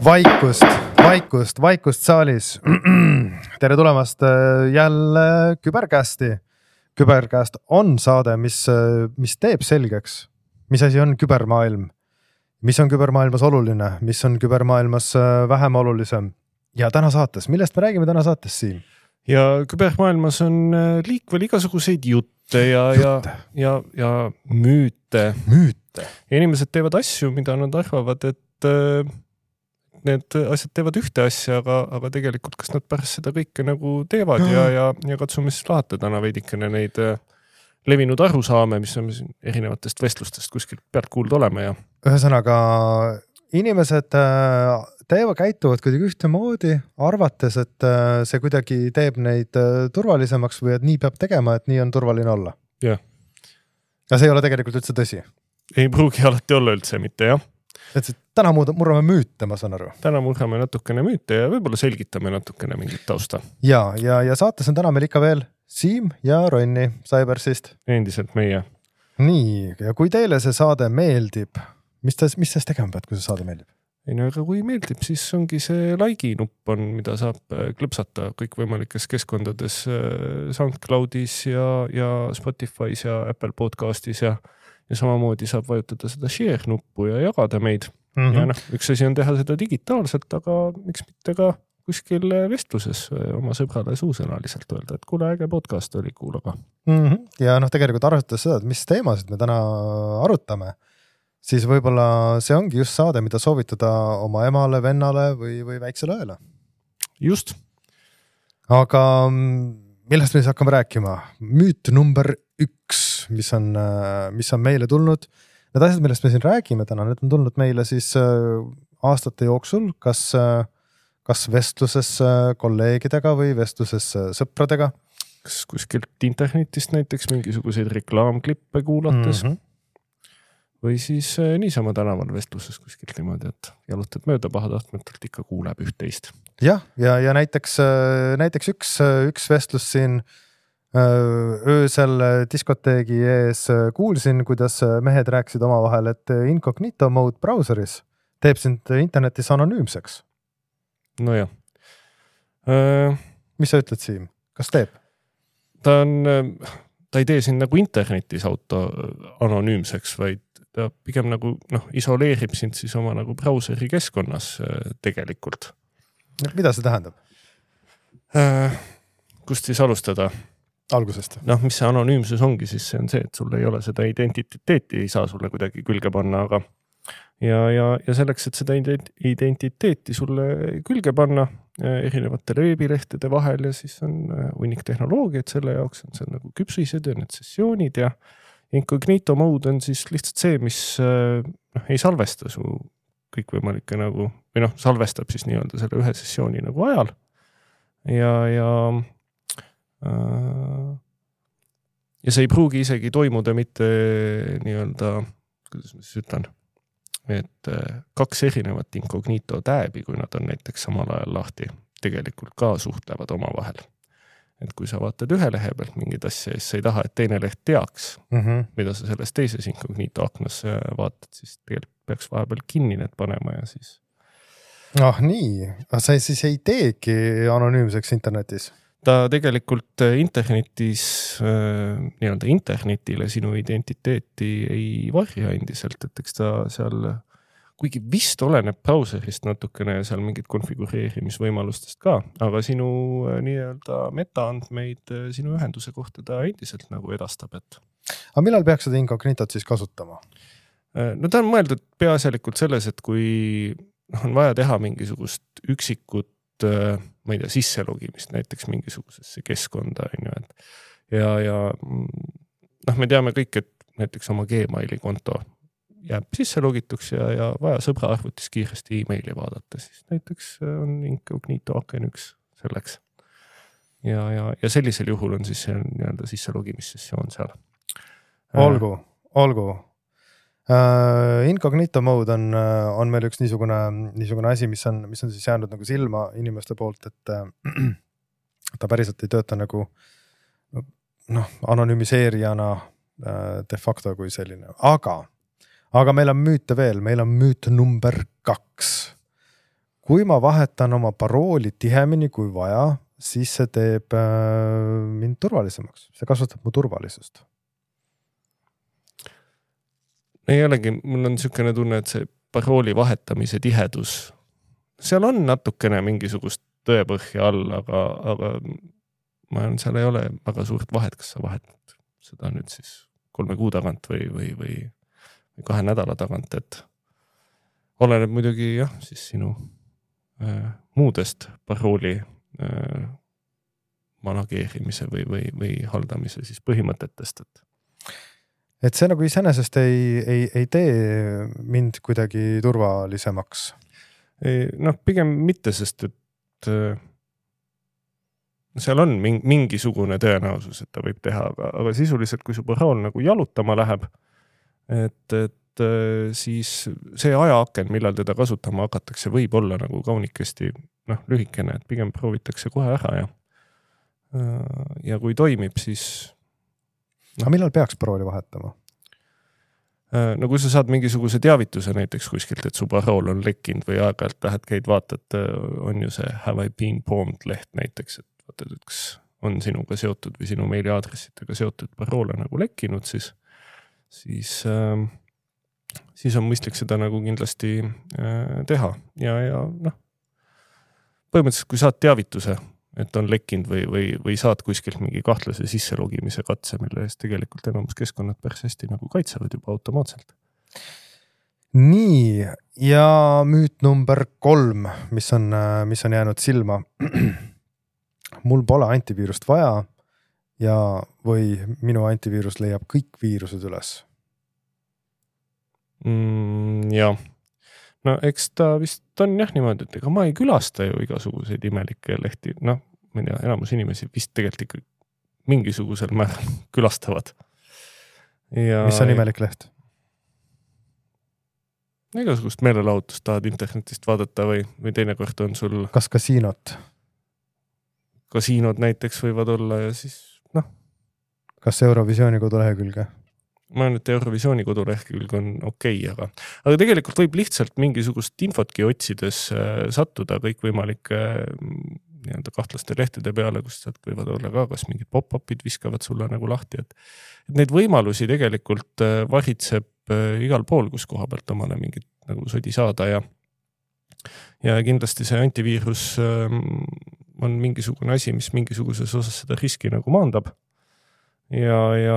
Vaikust saalis. Tere tulemast jälle Küberkästi. Küberkäst on saade, mis teeb selgeks, mis asi on kübermaailm, mis on kübermaailmas oluline, mis on kübermaailmas vähem olulisem. Ja täna saates, millest me räägime täna saates siin? Ja kübermaailmas on liikvel igasuguseid jutte ja müüte. Ja inimesed teevad asju, mida nad arvavad, et need asjad teevad ühte asja, aga tegelikult kas nad pärast seda kõike nagu teevad ja katsume siis lahata täna veidikene neid levinud arusaame, mis on erinevatest vestlustest kuskilt pealt kuulda olema. Ja. Ühesõnaga, inimesed käituvad kuidagi ühtemoodi, arvates, et see kuidagi teeb neid turvalisemaks või et nii peab tegema, et nii on turvaline olla. Ja. Ja see ei ole tegelikult üldse tõsi. Ei pruugi alati olla üldse mitte, jah. Et täna murrame müüte, ma saan aru. Täna murrame natukene müüte ja võib-olla selgitame natukene mingit tausta. Ja saates on täna meil ikka veel Siim ja Ronni Cybersist. Endiselt meie. Nii, ja kui teile see saade meeldib, mis tees tegema pead, kui see saade meeldib? Ei no, aga kui meeldib, siis ongi see like nupp on, mida saab klõpsata kõik võimalikes keskkondades SoundCloudis ja Spotify's ja Apple Podcastis ja samamoodi saab vajutada seda share nuppu ja jagada meid. Ja üks asi on teha seda digitaalselt, aga miks mitte ka kuskil vestluses oma sõbrale suusõnaliselt öelda, et kuule äge podcast oli kuulaga. Ja tegelikult arvestades seda, et mis teemasid me täna arutame, siis võib-olla see ongi just saade, mida soovitada oma emale, vennale või väiksele õele. Just. Aga millest me siis hakkame rääkima? Müüt number 1, mis on meile tulnud. Need asjad, millest me siin räägime täna, need on tulnud meile siis aastate jooksul, kas vestluses kolleegidega või vestluses sõpradega. Kas kuskilt internetist näiteks mingisuguseid reklaamklippe kuulates või siis niisama tänaval vestluses kuskilt niimoodi, et jalutad mööda pahatahtmetelt ikka kuuleb üht-teist. Ja näiteks üks vestlus siin öösel diskoteegi ees kuulsin, kuidas mehed rääksid omavahel, et incognito mode browseris teeb sind internetis anonüümseks. No jah. Mis sa ütled, Siim? Kas teeb? Ta ei tee sind nagu internetis auto anonüümseks, vaid ta pigem nagu isoleerib sind siis oma nagu brauseri keskkonnas tegelikult. Mida see tähendab? Kust siis alustada? Algusest. Mis see anonüümsus ongi, siis see on see, et sul ei ole seda identiteeti, ei saa sulle kuidagi külge panna, aga ja selleks, et seda identiteeti sulle külge panna erinevatele veebilehtede vahel ja siis on hunnik tehnoloogiat selle jaoks, on see nagu küpsised ja need sessioonid ja incognito mode on siis lihtsalt see, mis ei salvesta su kõikvõimalikke nagu, või salvestab siis nii-öelda selle ühe sessiooni nagu ajal ja see ei pruugi isegi toimuda mitte nii-öelda, kuidas ma siis ütlen, et 2 erinevat incognito tääbi, kui nad on näiteks samal ajal lahti, tegelikult ka suhtlevad oma vahel. Et kui sa vaatad ühe lehe pealt mingid asja, siis sa ei taha, et teine leht teaks, mida sa selles teises incognito aknas vaatad, siis tegelikult peaks vahepeal kinni need panema ja siis. Nii, sa siis ei teegi anonüümseks internetis? Ta tegelikult internetis, nii-öelda internetile sinu identiteeti ei varja endiselt, et eks ta seal, kuigi vist oleneb brauserist natukene ja seal mingid konfigureerimisvõimalustest ka, aga sinu nii-öelda metaandmeid sinu ühenduse kohta ta endiselt nagu edastab, et. Aga millal peaks seda incognitot siis kasutama? Ta on mõeldud peaasjalikult selles, et kui on vaja teha mingisugust üksikut ma ei tea, sisselogimist näiteks mingisugusesse keskkonda ja me teame kõik, et näiteks oma Gmaili konto jääb sisselogituks ja vaja sõbra arvutis kiiresti e-maili vaadata, siis näiteks on incognito aken üks selleks ja sellisel juhul on siis see nii-öelda sisselogimissessioon seal. Olgu. Incognito mode on meil üks niisugune asi, mis on siis jäänud nagu silma inimeste poolt, et ta päriselt ei tööta nagu anonüümiseerijana de facto kui selline. Aga meil on müüte veel, meil on müüt number 2. kui ma vahetan oma parooli tihemini kui vaja, siis see teeb mind turvalisemaks. See kasvatab mu turvalisust. Ei olegi, mul on niisugune tunne, et see parooli vahetamise tihedus, seal on natukene mingisugust tõepõhja all, aga ma olen, seal ei ole väga suurt vahet, kas sa vahetad seda nüüd siis 3 kuu tagant või 2 nädala tagant, et oleneb muidugi jah, siis sinu muudest parooli manageerimise või haldamise siis põhimõtetest, et see nagu iseenesest ei tee mind kuidagi turvalisemaks. Noh, pigem mitte, sest et seal on mingisugune tõenäosus, et ta võib teha, aga sisuliselt, kui su parool nagu jalutama läheb, et siis see ajaaken, millal teda kasutama hakatakse, võib olla nagu kaunikesti lühikene, et pigem proovitakse kohe ära ja kui toimib, siis Aga millal peaks parooli vahetama? No kui sa saad mingisuguse teavituse näiteks kuskilt, et su parool on lekkinud või aeg-ajalt lähed, käid vaatad, on ju see have I been bombed leht näiteks, et vaatad, et kas on sinuga seotud või sinu meiliaadressitega seotud paroole nagu lekkinud, siis on mõistlik seda nagu kindlasti teha ja põhimõtteliselt kui saad teavituse, et on lekkinud või saad kuskilt mingi kahtlase sisselogimise katse, mille eest tegelikult enamus keskkonnad päris hästi nagu kaitsevad juba automaatselt. Nii, ja müüt number 3, mis on jäänud silma. Mul pole antiviirust vaja või minu antiviirus leiab kõik viirused üles. Jah. No eks ta vist on jah niimoodi, et ega ma ei külasta ju igasuguseid imelikke lehti. Ma ei tea, enamus inimesi vist tegelikult ikka mingisugusel määral külastavad. Mis on imelik leht? Igasugust meelelahutust tahad internetist vaadata või teinekord on sul... Kas kasiinot? Kasiinod näiteks võivad olla ja siis Kas Eurovisiooni kodulehekülge? Ma olen, et Eurovisiooni kodulehekülg on okei, aga tegelikult võib lihtsalt mingisugust infotki otsides sattuda kõikvõimalike kahtlaste lehtede peale, kus sealt võivad olla ka, kas mingid pop-upid viskavad sulle nagu lahti, et neid võimalusi tegelikult varitseb igal pool, kus koha pealt omale mingit nagu sodi saada ja kindlasti see antiviirus on mingisugune asi, mis mingisuguses osas seda riski nagu maandab ja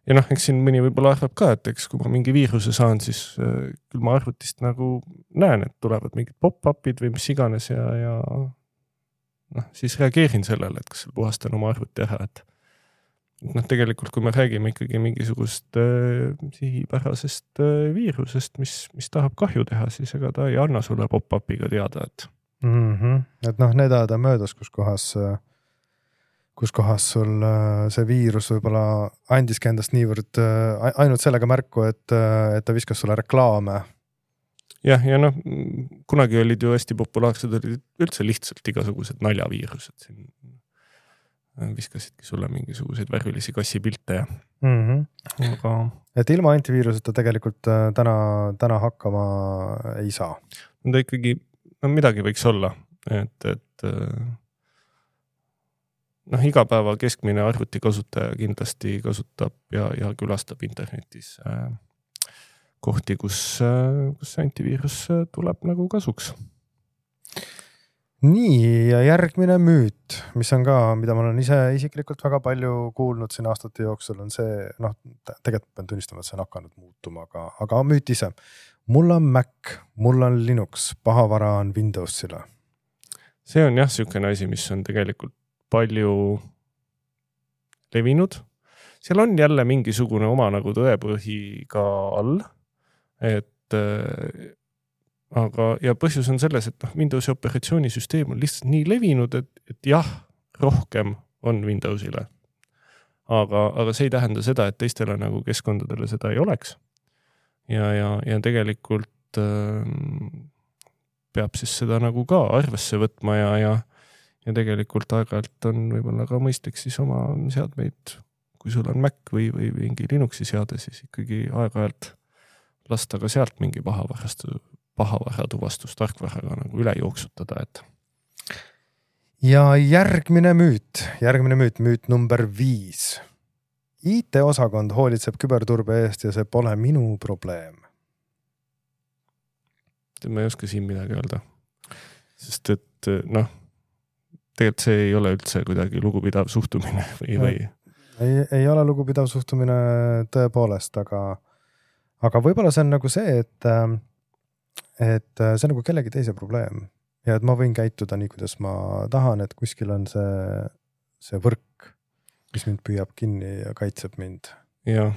eks siin mõni võib-olla arvab ka, et eks kui ma mingi viiruse saan, siis küll ma arvutist nagu näen, et tulevad mingid pop-upid või mis iganes ja siis reageerin sellele, et kas puhastan oma arvuti ära, et tegelikult kui me räägime ikkagi mingisugust sihipärasest viirusest, mis tahab kahju teha, siis ega ta ei anna sulle pop-upiga teada, et et need ajad on möödas, kus kohas sul see viirus võib-olla andiski endast niivõrd ainult sellega märku, et ta viskas sulle reklaame. Ja kunagi olid ju hästi populaarsed, olid üldse lihtsalt igasugused naljaviirused. Siin viskasidki sulle mingisuguseid värvilisi kassipilte ja aga... Et ilma antiviiruseta tegelikult täna hakkama ei saa. Ta ikkagi midagi võiks olla, et igapäeva keskmine arvuti kasutaja kindlasti kasutab ja külastab internetis kohti, kus antiviirus tuleb nagu kasuks. Nii, ja järgmine müüt, mis on ka, mida ma olen ise isiklikult väga palju kuulnud siin aastate jooksul, on see, tegelikult pean tunnistama, et see on hakanud muutuma, aga müüt ise. Mul on Mac, mul on Linux, pahavara on Windowsile. See on jah niisugune asi, mis on tegelikult palju levinud. Seal on jälle mingisugune oma nagu tõepõhi ka all, aga põhjus on selles, et Windowsi operatsioonisüsteem on lihtsalt nii levinud, et jah, rohkem on Windowsile. Aga see ei tähenda seda, et teistele nagu keskkondadele seda ei oleks. Ja tegelikult peab siis seda nagu ka arvesse võtma ja tegelikult aeg-ajalt on võib-olla ka mõistlik siis oma seadmeid, kui sul on Mac või mingi Linuxi seade, siis ikkagi aeg-ajalt lasta ka sealt mingi pahavara tuvastustarkvaraga nagu üle jooksutada, et. Ja järgmine müüt number 5. IT-osakond hoolitseb küberturbe eest ja see pole minu probleem. Ma ei oska siin midagi öelda. Sest et noh, tegelikult see ei ole üldse kuidagi lugupidav suhtumine või. Ei ole lugupidav suhtumine tõepoolest, aga võib-olla see on nagu see, et see on nagu kellegi teise probleem ja et ma võin käituda nii, kuidas ma tahan, et kuskil on see võrk, mis mind püüab kinni ja kaitseb mind. Jah,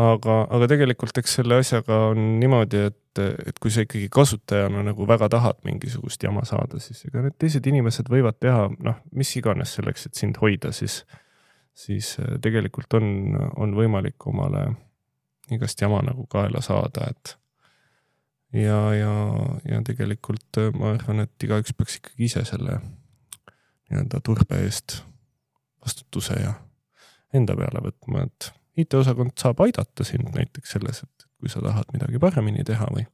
aga tegelikult eks selle asjaga on niimoodi, et kui sa ikkagi kasutajana nagu väga tahad mingisugust jama saada, siis ega need teised inimesed võivad teha, mis iganes selleks, et sind hoida, siis tegelikult on võimalik omale igast jama nagu kaela saada, et ja tegelikult ma arvan, et igaüks peaks ikkagi ise selle nii-öelda turbe eest vastutuse ja enda peale võtma, et IT-osakond saab aidata sind näiteks selles, et kui sa tahad midagi paremini teha või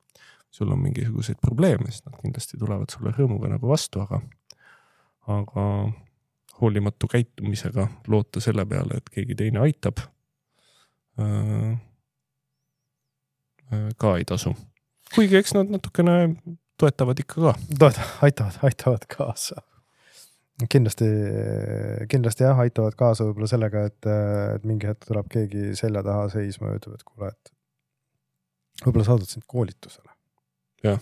sul on mingisuguseid probleeme, siis nad kindlasti tulevad sulle rõõmuga nagu vastu, aga hoolimatu käitumisega loota selle peale, et keegi teine aitab, ka ei tasu. Kuigi eks nad natukene toetavad ikka ka. Aitavad kaasa. Kindlasti jah, aitavad kaasa võib-olla sellega, et mingi hetk tuleb keegi selja taha seisma ja ütleb, et kuule, et võib-olla saadad sind koolitusele. Jah.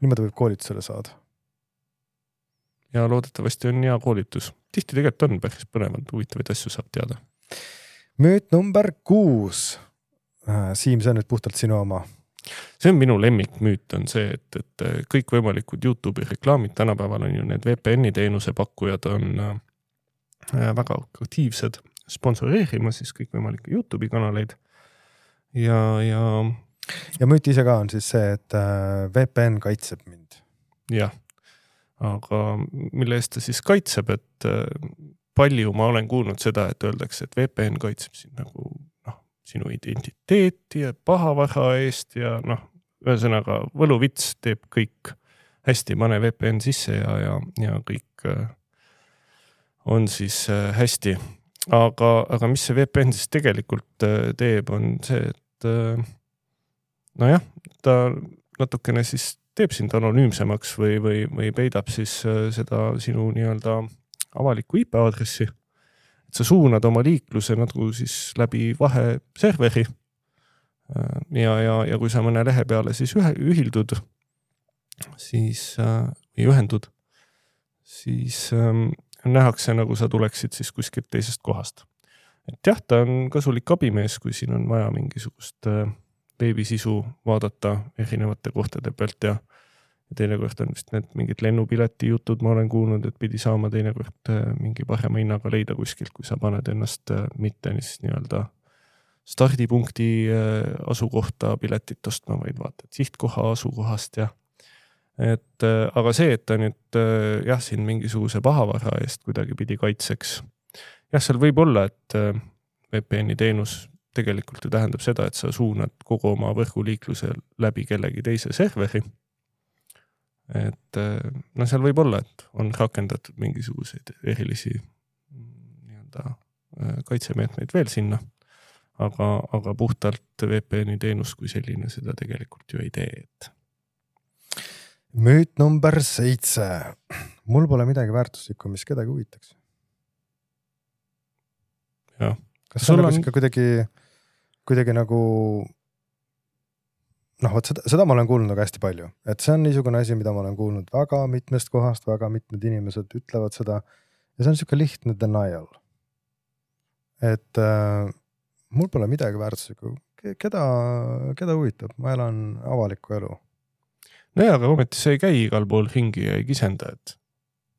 Niimoodi võib koolitusele saada. Ja loodetavasti on hea koolitus. Tihti tegelikult on päris põnevad, huvitavaid asju saab teada. Müüt number 6. Siim, see on nüüd puhtalt sinu oma. See on minu lemmikmüüt on see, et kõik võimalikud YouTube'i reklaamid tänapäeval on ju need VPN-i teenuse pakkujad on väga aktiivsed sponsoreerima siis kõik võimalikke YouTube'i kanaleid ja müüt ise ka on siis see, et VPN kaitseb mind. Jah, aga mille eest ta siis kaitseb, et palju ma olen kuulnud seda, et öeldakse, et VPN kaitseb sind nagu sinu identiteeti ja pahavara eest ja ühesõnaga võluvits teeb kõik hästi, pane VPN sisse ja kõik on siis hästi. Aga mis see VPN siis tegelikult teeb, on see, et ta natukene siis teeb sind anonüümsemaks või peidab siis seda sinu nii-öelda avalikku IP-aadressi. Et sa suunad oma liikluse nagu siis läbi vaheserveri ja kui sa mõne lehe peale siis ühildud, siis ühendud, siis nähakse nagu sa tuleksid siis kuskilt teisest kohast. Et jah, ta on kasulik abimees, kui siin on vaja mingisugust veebisisu vaadata erinevate kohtade pealt ja teinekord on vist need mingid lennupileti jutud, ma olen kuulnud, et pidi saama teinekord mingi parema hinnaga leida kuskilt, kui sa paned ennast mitte nii-öelda stardipunkti asukohta piletit ostma, vaid vaatad sihtkoha asukohast aga see, et ta nüüd jah, siin mingisuguse pahavara eest kuidagi pidi kaitseks. Jah, seal võib olla, et VPN-i teenus tegelikult ju tähendab seda, et sa suunad kogu oma võrguliikluse läbi kellegi teise serveri. Et seal võib olla, et on rakendatud mingisuguseid erilisi kaitsemeetmeid veel sinna, aga puhtalt VPN-i teenus kui selline seda tegelikult ju ei tee. Müüt number 7. Mul pole midagi väärtuslikku, mis kedagi huvitaks. Jah. Kas see on nagu kuidagi nagu seda ma olen kuulnud nagu hästi palju, et see on niisugune asi, mida ma olen kuulnud väga mitmest kohast, väga mitmed inimesed ütlevad seda ja see on niisugune lihtne denial. Et mul pole midagi väärtuslikku. Keda huvitab? Ma elan avalikku elu. Aga ometi see ei käi igal pool ringi ja ei kisenda, et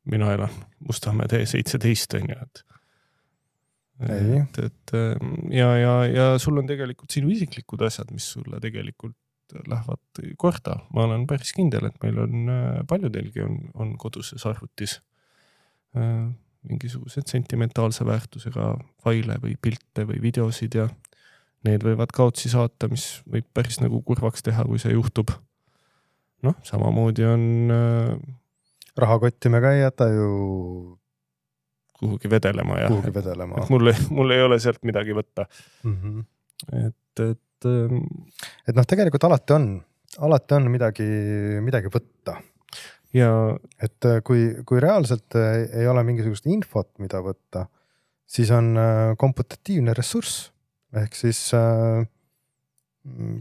mina elan Mustamäe tee 17 on ju, ja sul on tegelikult sinu isiklikud asjad, mis sulle tegelikult lähevad korda. Ma olen päris kindel, et meil on paljudelgi on koduses arvutis mingisugused sentimentaalse väärtusega faile või pilte või videosid ja need võivad kaotsi saata, mis võib päris nagu kurvaks teha, kui see juhtub. noh, samamoodi on rahakotti me ka ei jäta ju kuhugi vedelema. Kuhugi vedelema. Mul ei ole sealt midagi võtta. Et noh, tegelikult alati on midagi võtta. Ja et kui reaalselt ei ole mingisugust infot, mida võtta, siis on komputatiivne ressurss. Ehk siis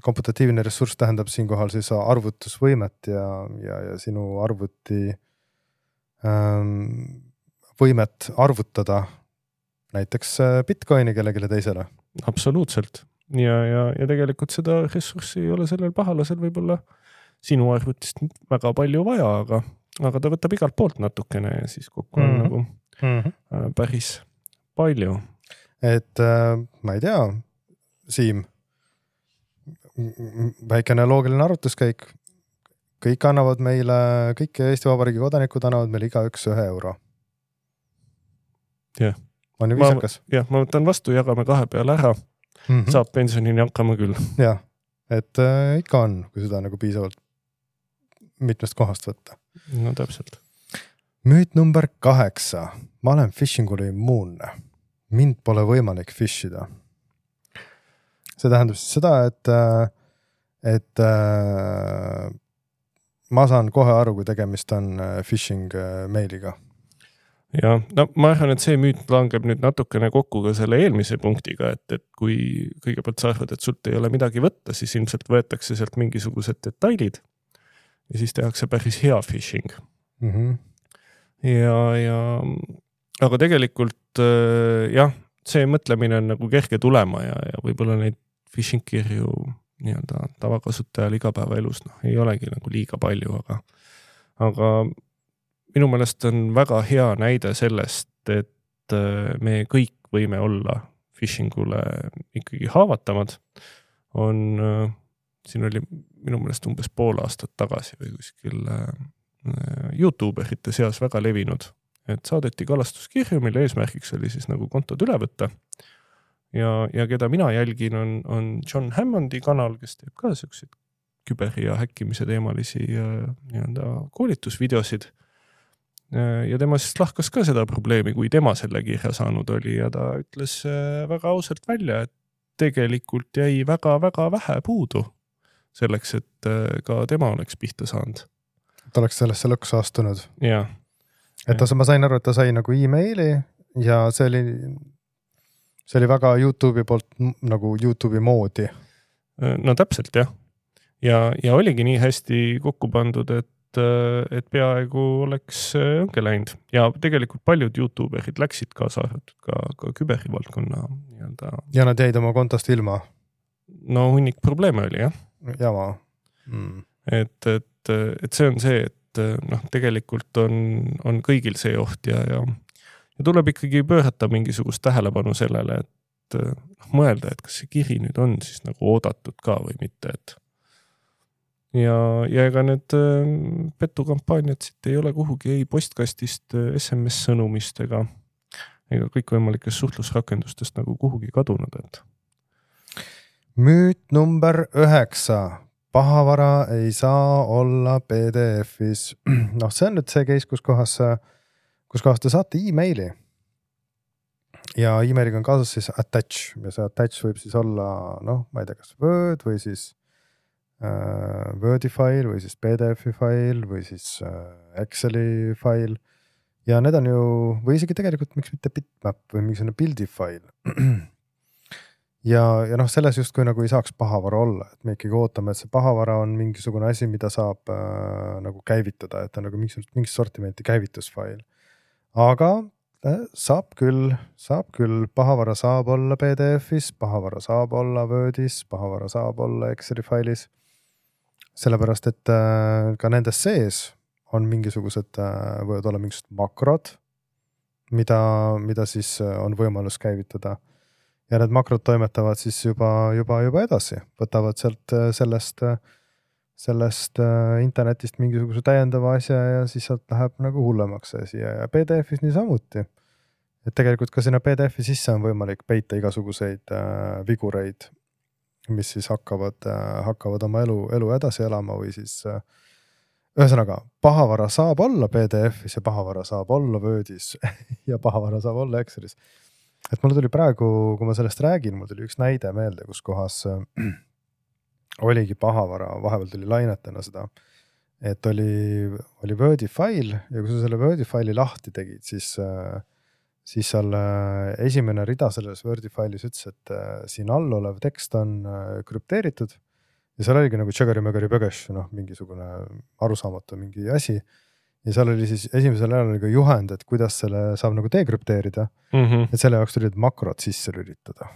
komputatiivne ressurss tähendab siinkohal siis arvutusvõimet ja sinu arvuti võimet arvutada näiteks Bitcoini kellegile teisele. Absoluutselt. Ja tegelikult seda ressurssi ei ole sellel pahalasel võib-olla sinu arvutist väga palju vaja, aga ta võtab igalt poolt natukene ja siis kokku on nagu päris palju. Et ma ei tea, Siim, väikene loogiline arvutuskäik. Kõik annavad meile, kõik Eesti Vabariigi kodanikud annavad meile igaüks 1 euro. Jah. On ju viisakas? Jah, ma võtan vastu, jagame 2 peale ära. Saab pensionini hakkama küll. Jah, et ikka on, kui seda nagu piisavalt mitmest kohast võtta. No täpselt. Müüt number 8. Ma olen phishingule immuunne. Mind pole võimalik phishida. See tähendab siis seda, et ma saan kohe aru, kui tegemist on phishing meiliga. Ja, no ma arvan, et see müüt langeb nüüd natukene kokku ka selle eelmise punktiga, et kui kõigepealt sa arvad, et sult ei ole midagi võtta, siis ilmselt võetakse sealt mingisugused detailid ja siis tehakse päris hea phishing. Aga tegelikult jah, see mõtlemine on nagu kerge tulema ja võib-olla neid phishing kirju nii-öelda tavakasutajal igapäevaelus ei olegi nagu liiga palju, aga minu meelest on väga hea näide sellest, et me kõik võime olla phishingule ikkagi haavatavad. Siin oli minu meelest umbes pool aastat tagasi või kuskil YouTuberite seas väga levinud, et saadeti kalastuskirju, mille eesmärgiks oli siis nagu kontod üle võtta. Ja keda mina jälgin on John Hammondi kanal, kes teeb ka selliseid küberi ja häkkimise teemalisi nii-öelda koolitusvideosid. Ja tema siis lahkas ka seda probleemi, kui tema selle kirja saanud oli ja ta ütles väga ausalt välja, et tegelikult jäi väga-väga vähe puudu selleks, et ka tema oleks pihta saanud. Ta oleks sellesse lõksu astunud. Ja. Et ma sain aru, et ta sai nagu e-maili ja see oli väga YouTube'i poolt nagu YouTube'i moodi. No täpselt jah. Ja oligi nii hästi kokku pandud, et peaaegu oleks õnge läinud. Ja tegelikult paljud YouTuberid läksid kaasa ka küberivaldkonna nii-öelda. Ja nad jäid oma kontost ilma? No hunnik probleeme oli, jah. Jama. Et see on see, et tegelikult on kõigil see oht ja tuleb ikkagi pöörata mingisugust tähelepanu sellele, et mõelda, et kas see kiri nüüd on siis nagu oodatud ka või mitte, et ja ega need petukampaaniad siit ei ole kuhugi ei postkastist, SMS-sõnumist ega kõikvõimalikest suhtlusrakendustest nagu kuhugi kadunud. Et. Müüt number 9. Pahavara ei saa olla PDF-is. No see on nüüd see case, kus kohas te saate e-maili. Ja e-mailiga on kaasas siis attach. Ja see attach võib siis olla, ma ei tea, kas Word või siis Wordi fail või siis PDF-i fail või siis Exceli fail ja need on ju, või isegi tegelikult miks mitte bitmap või mingisugune pildi fail ja selles just kui nagu ei saaks pahavara olla, et me ikkagi ootame, et see pahavara on mingisugune asi, mida saab nagu käivitada, et on nagu mingis sortimenti käivitusfail, aga saab küll, pahavara saab olla PDF-is, pahavara saab olla Wordis, pahavara saab olla Exceli failis. Sellepärast, et ka nendes sees on mingisugused, võivad olla mingisugused makrod, mida siis on võimalus käivitada. Ja need makrod toimetavad siis juba edasi. Võtavad sellest internetist mingisuguse täiendava asja ja siis sealt läheb nagu hullemaks asi ja PDF-is nii samuti. Et tegelikult ka sinna PDF-i sisse on võimalik peita igasuguseid vigureid, mis siis hakkavad oma elu edasi elama või siis ühesõnaga, pahavara saab olla PDF-is ja pahavara saab olla Wordis ja pahavara saab olla Excelis. Et mul tuli praegu, kui ma sellest räägin, mul tuli üks näide meelde, kus kohas oligi pahavara, vahepeal tuli lainetena seda, et oli Wordi fail ja kui sa selle Wordi faili lahti tegid, siis seal esimene rida selles Wordi failis ütles, et siin all olev tekst on krüpteeritud ja seal oligi nagu tšegari-mögari-pögeš, mingisugune arusaamatu mingi asi. Ja seal oli siis esimesel ajal oli ka juhend, et kuidas selle saab nagu dekrüpteerida, et selle jaoks tulid makrot sisse lülitada.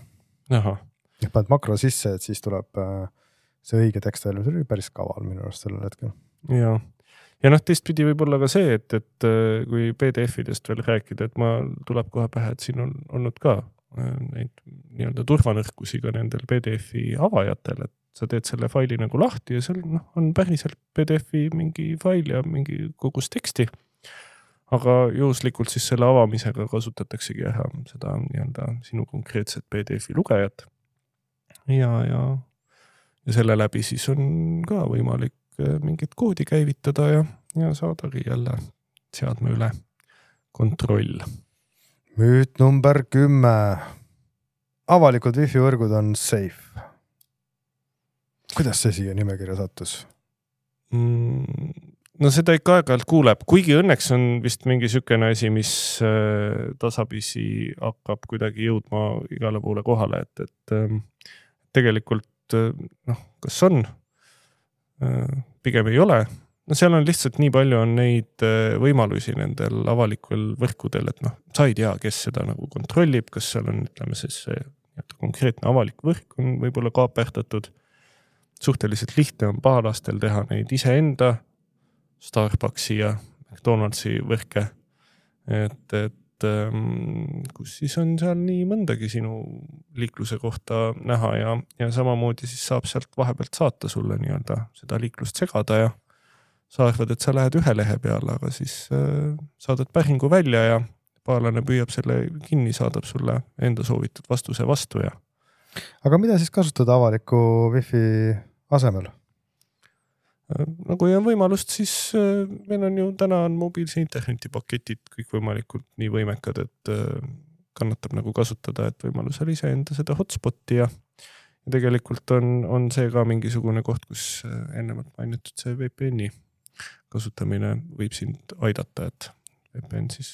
Aha. Ja paned makro sisse, et siis tuleb see õige tekst välja, see oli päris kaval minu arust sellel hetkel. Ja teistpidi võib olla ka see, et kui PDF-idest veel rääkida, et tuleb kohe pähe, et siin on olnud ka neid nii-öelda turvanõrkusi ka nendel PDF-i avajatel, et sa teed selle faili nagu lahti ja seal on päriselt PDF-i mingi fail ja mingi kogus teksti. Aga juhuslikult siis selle avamisega kasutataksegi ära seda nii-öelda sinu konkreetset PDF-i lugejat. Ja selle läbi siis on ka võimalik mingit koodi käivitada ja saadagi jälle seadme üle kontroll. Müüt number 10. Avalikud wifi võrgud on safe. Kuidas see siia nimekirja sattus? No seda ikka aeg-ajalt kuuleb, kuigi õnneks on vist mingi sükene asi, mis tasapisi hakkab kuidagi jõudma igale poole kohale, et tegelikult kas on, pigem ei ole. No seal on lihtsalt nii palju on neid võimalusi nendel avalikul võrkudel, et sa ei tea, kes seda nagu kontrollib, kas seal on, ütleme siis konkreetne avalik võrk on võib-olla kaaperdatud. Suhteliselt lihtne on pahalastel teha neid iseenda Starbucksi ja McDonaldsi võrke, et kus siis on seal nii mõndagi sinu liikluse kohta näha ja samamoodi siis saab sealt vahepealt saata sulle nii-öelda seda liiklust segada ja sa arvad, et sa lähed ühe lehe peale, aga siis saadad päringu välja ja pahalane püüab selle kinni, saadab sulle enda soovitud vastuse vastu ja. Aga mida siis kasutada avaliku wifi asemel? No kui on võimalust, siis meil on ju täna on mobiilse internetipaketid kõik võimalikult nii võimekad, et kannatab nagu kasutada, et võimalusel ise enda seda hotspoti ja tegelikult on see ka mingisugune koht, kus ennemalt mainitud see VPN-i kasutamine võib sind aidata, et VPN siis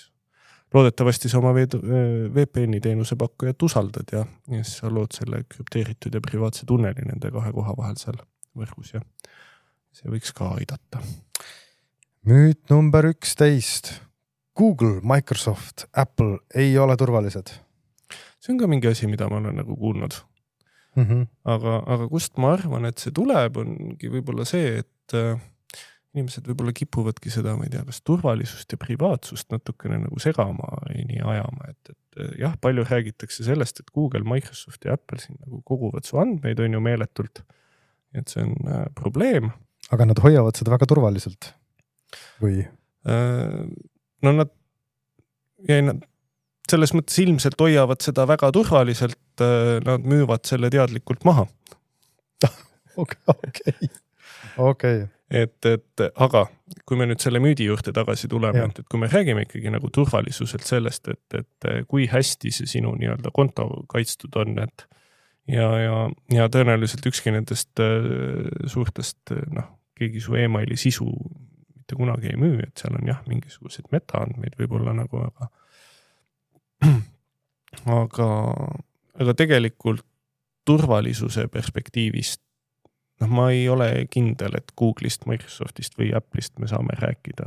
loodetavasti sa oma VPN-i teenuse pakkujat usaldad ja siis sa lood selle krüpteeritud ja privaatse tunneli nende kahe koha vahel seal võrgus ja see võiks ka aidata. Müüt number 11. Google, Microsoft, Apple ei ole turvalised. See on ka mingi asi, mida ma olen nagu kuulnud. Aga kust ma arvan, et see tuleb, ongi võib-olla see, et inimesed võib-olla kipuvadki seda, ma ei tea, kas turvalisust ja privaatsust natukene nagu segama ja nii ajama, et jah, palju räägitakse sellest, et Google, Microsoft ja Apple siin nagu koguvad su andmeid on ju meeletult, et see on probleem. Aga nad hoiavad seda väga turvaliselt? Või? No nad selles mõttes ilmselt hoiavad seda väga turvaliselt, nad müüvad selle teadlikult maha. Okei. Aga kui me nüüd selle müüdi juurde tagasi tuleme, et kui me räägime ikkagi nagu turvalisuselt sellest, et kui hästi see sinu nii-öelda konto kaitstud on, et ja tõenäoliselt ükski nendest suurtest, keegi su emaili sisu mitte kunagi ei müü, et seal on jah, mingisuguseid metaandmeid võib-olla nagu, aga tegelikult turvalisuse perspektiivist ma ei ole kindel, et Google'ist, Microsoftist või Apple'ist me saame rääkida,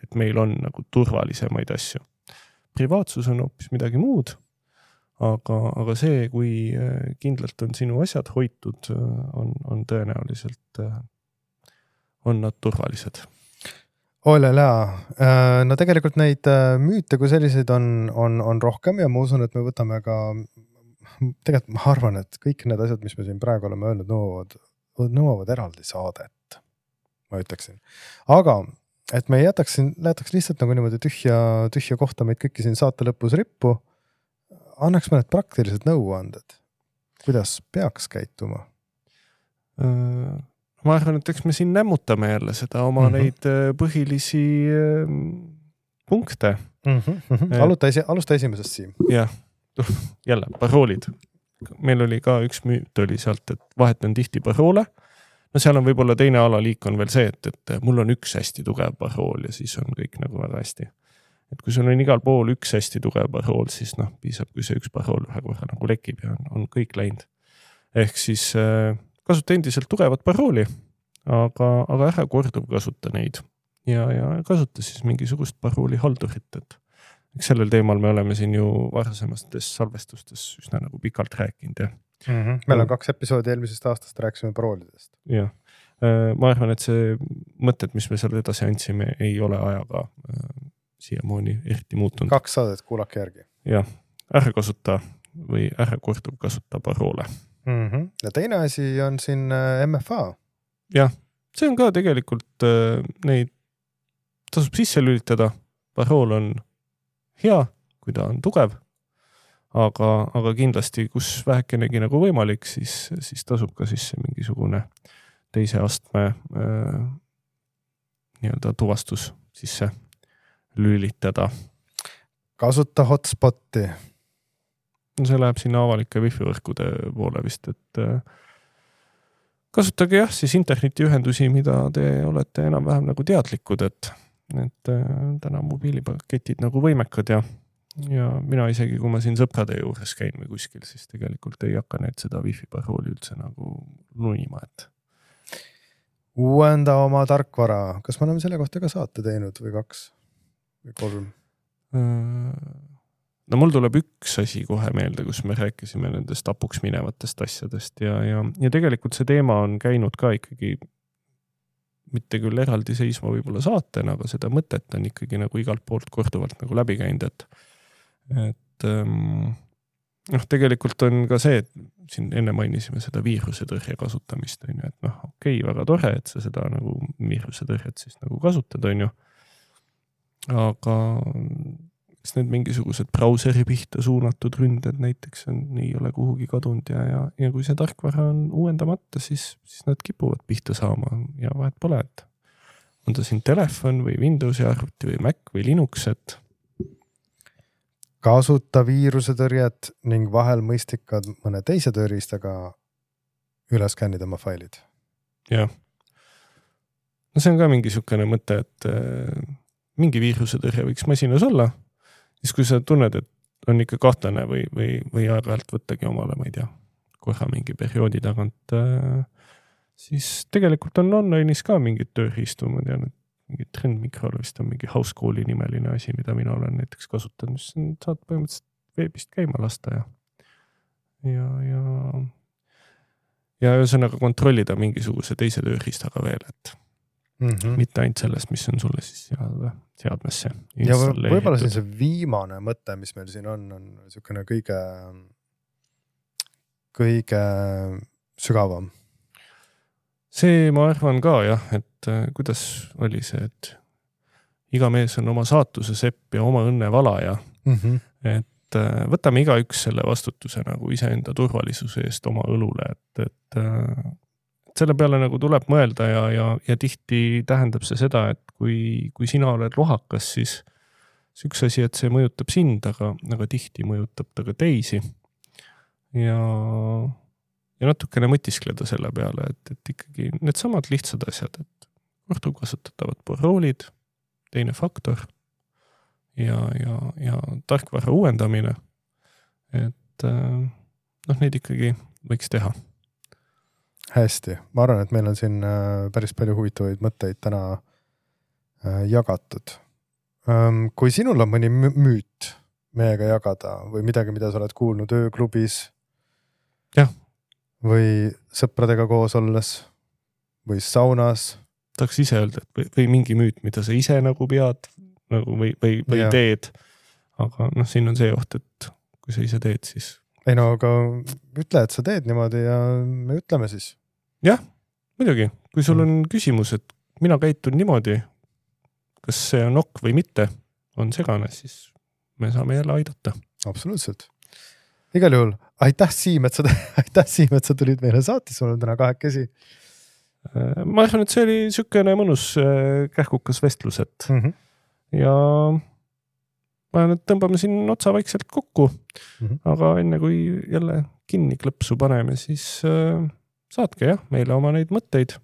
et meil on nagu turvalisemaid asju. Privaatsus on hoopis midagi muud, aga see, kui kindlalt on sinu asjad hoitud, on tõenäoliselt on nad turvalised. No tegelikult neid müüte kui selliseid on rohkem ja ma usun, et me võtame ka, tegelikult ma arvan, et kõik need asjad, mis me siin praegu oleme öelnud, nõuavad eraldi saadet, ma ütleksin. Aga, et me jätaks lihtsalt nagu niimoodi tühja kohta meid kõiki siin saate lõpus rippu, annaks mõned praktilised nõuanded, kuidas peaks käituma? ma arvan, et eks me siin nämmutame jälle seda oma neid põhilisi punkte. Alusta esimesest, Siim. Jah, jälle, paroolid. Meil oli ka üks müüt oli sealt, et vahetan tihti paroole. No seal on võib-olla teine alaliik on veel see, et mul on üks hästi tugev parool ja siis on kõik nagu väga hästi. Et kui sul on igal pool üks hästi tugev parool, siis piisab, kui see üks parool ühe korra nagu lekib ja on kõik läinud. Ehk siis kasuta endiselt tugevat parooli, aga ära korduv kasuta neid ja kasuta siis mingisugust parooli haldurit, et sellel teemal me oleme siin ju varasemastes salvestustes üsna nagu pikalt rääkinud. Meil on 2 episoodi eelmisest aastast rääkisime paroolidest. Jah, ma arvan, et see mõtted, mis me seal edasi andsime, ei ole ajaga siiamaani eriti muutunud. 2 saadet, kuulake järgi. Jah, ära kasuta või ära korduv kasuta paroole. Ja teine asi on siin MFA. Jah, see on ka tegelikult neid tasub sisse lülitada. Parool on hea, kui ta on tugev, aga kindlasti, kus vähekenegi nagu võimalik, siis tasub ka sisse mingisugune teise astme nii-öelda tuvastus sisse lülitada. Kasuta hotspoti. No see läheb sinna avalike wifi-võrkude poole vist, et kasutage siis internetiühendusi, mida te olete enam-vähem nagu teadlikud, et täna mobiilipaketid nagu võimekad ja mina isegi, kui ma siin sõprade juures käin või kuskil, siis tegelikult ei hakka need seda wifi parooli üldse nagu nunima, et uuenda oma tarkvara. Kas me oleme selle kohta ka saate teinud või 2 või 3? No mul tuleb üks asi kohe meelde, kus me rääkisime nendest apuks minevatest asjadest ja tegelikult see teema on käinud ka ikkagi mitte küll eraldi seisma võib-olla saatena, aga seda mõtet on ikkagi nagu igalt poolt korduvalt nagu läbi käinud, et tegelikult on ka see, et siin enne mainisime seda viirusetõrje kasutamist, on ju, et okei, väga tore, et sa seda nagu viirusetõrjet siis nagu kasutad, on ju, aga kas need mingisugused brauseri pihta suunatud ründed näiteks ei ole kuhugi kadunud ja kui see tarkvara on uuendamata, siis nad kipuvad pihta saama ja vahet pole, et on ta siin telefon või Windowsi arvuti või Mac või Linux, et kasuta viirusetõrjet ning vahel mõistikad mõne teise tööriistaga üles kännida oma failid. Jah. No see on ka mingisugune mõte, et mingi viirusetõrje võiks masinas olla, siis kui sa tunned, et on ikka kahtlane või aeg-ajalt võttagi omale, ma ei tea, korra mingi perioodi tagant, siis tegelikult on online'is ka mingid tööriistu, ma tean, et mingi Trend Microl vist on mingi Housecooli nimeline asi, mida mina olen näiteks kasutanud, mis saad põhimõtteliselt veebist käima lasta ja ühesõnaga kontrollida mingisuguse teise tööriistaga veel, et mitte ainult sellest, mis on sulle siis seadmesse ja võib-olla siin see viimane mõte, mis meil siin on niisugune kõige sügavam. See ma arvan ka jah, et kuidas oli see, et iga mees on oma saatuse sepp ja oma õnne valaja, et võtame igaüks selle vastutuse nagu iseenda turvalisuse eest oma õlule, et selle peale nagu tuleb mõelda ja tihti tähendab see seda, et kui sina oled lohakas, siis üks asi, et see mõjutab sind, aga tihti mõjutab ta ka teisi ja natukene mõtiskleda selle peale, et ikkagi need samad lihtsad asjad, et korduvkasutatavad paroolid, teine faktor ja tarkvara uuendamine, et neid ikkagi võiks teha. Hästi, ma arvan, et meil on siin päris palju huvitavaid mõtteid täna jagatud. Kui sinul on mõni müüt meiega jagada või midagi, mida sa oled kuulnud ööklubis, jah, või sõpradega koos olles või saunas. Tahaks ise öelda, et või mingi müüt, mida sa ise nagu pead nagu või teed. Aga siin on see oht, et kui sa ise teed, siis... Ei no, aga ütle, et sa teed niimoodi ja me ütleme siis. Jah, muidugi. Kui sul on küsimus, et mina käitun niimoodi, kas see on ok või mitte, on segane, siis me saame jälle aidata. Absoluutselt. Igal juhul, aitäh Siim, et sa tulid meile saatis, sul on täna 2 käsi. ma arvan, et see oli niisugune mõnus kähkukas vestlus, et ja ma arvan, et tõmbame siin otsa vaikselt kokku, aga enne kui jälle kinni klõpsu paneme, siis saatke meile oma neid mõtteid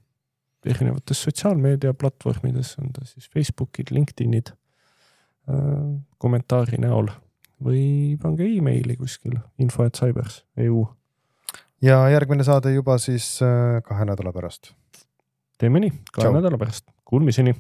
erinevates sotsiaalmeedia platvormides, on ta siis Facebookid, LinkedInid, kommentaari näol või pange e-maili kuskil info@cybers.eu. Ja järgmine saade juba siis 2 nädala pärast. Teeme nii, 2 nädala pärast. Kuulmiseni!